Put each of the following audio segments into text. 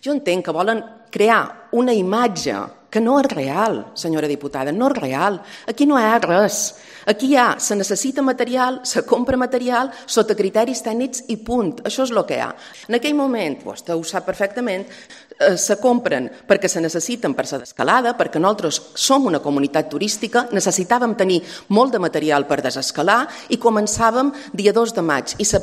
Jo entenc que volen crear una imatge que no és real, senyora diputada, no és real. Aquí no hi ha res. Aquí se necessita material, se compra material sota criteris tècnics i punt. Això és el que hi ha. En aquell moment, vostè ho sap perfectament, se compren perquè se necessiten per la desescalada, perquè nosaltres som una comunitat turística, necessitàvem tenir molt de material per desescalar i començàvem dia 2 de maig. I el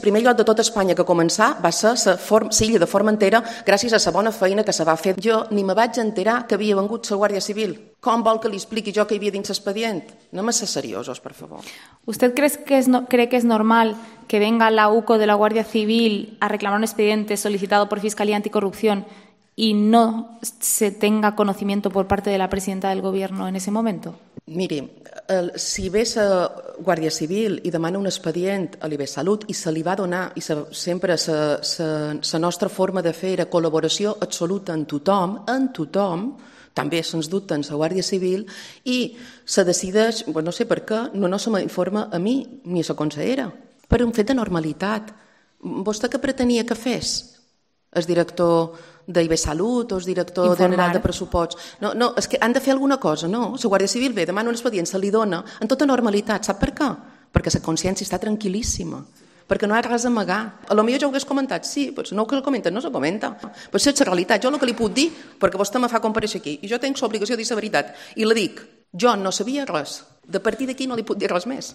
primer lloc de tot Espanya que començar va ser l'illa de Formentera gràcies a la bona feina que se va fer. Jo ni me vaig enterar que havia vengut la Guàrdia Civil. Com vol que li expliqui jo que hi havia dins l'expedient? Anem a ser seriosos, por favor. ¿Usted cree que es normal que venga la UCO de la Guardia Civil a reclamar un expediente solicitado por Fiscalía Anticorrupción y no se tenga conocimiento por parte de la presidenta del Gobierno en ese momento? Miri, si ve la Guàrdia Civil i demana un expedient a l'IBSalut i se li va donar, i sempre la nostra forma de fer era col·laboració absoluta en tothom, també sens dubte en la Guàrdia Civil, i se decideix, no sé per què, no se m'informa a mi ni a la consellera, per un fet de normalitat. Vostè què pretenia que fes? El director d'IBSalut o el director general de pressupost? No, és que han de fer alguna cosa, no? La Guàrdia Civil ve, demana un expedient, se li dona en tota normalitat. Sap per què? Perquè la consciència està tranquil·líssima, perquè no hi ha res a amagar. A lo millor jo ho hagués comentat, sí, però no que el comenten, no se comenta. Però és la realitat, jo el que li puc dir, perquè vostè me fa comparèixer aquí, i jo tinc l'obligació de dir la veritat, i la dic, jo no sabia res, de partir d'aquí no li puc dir res més.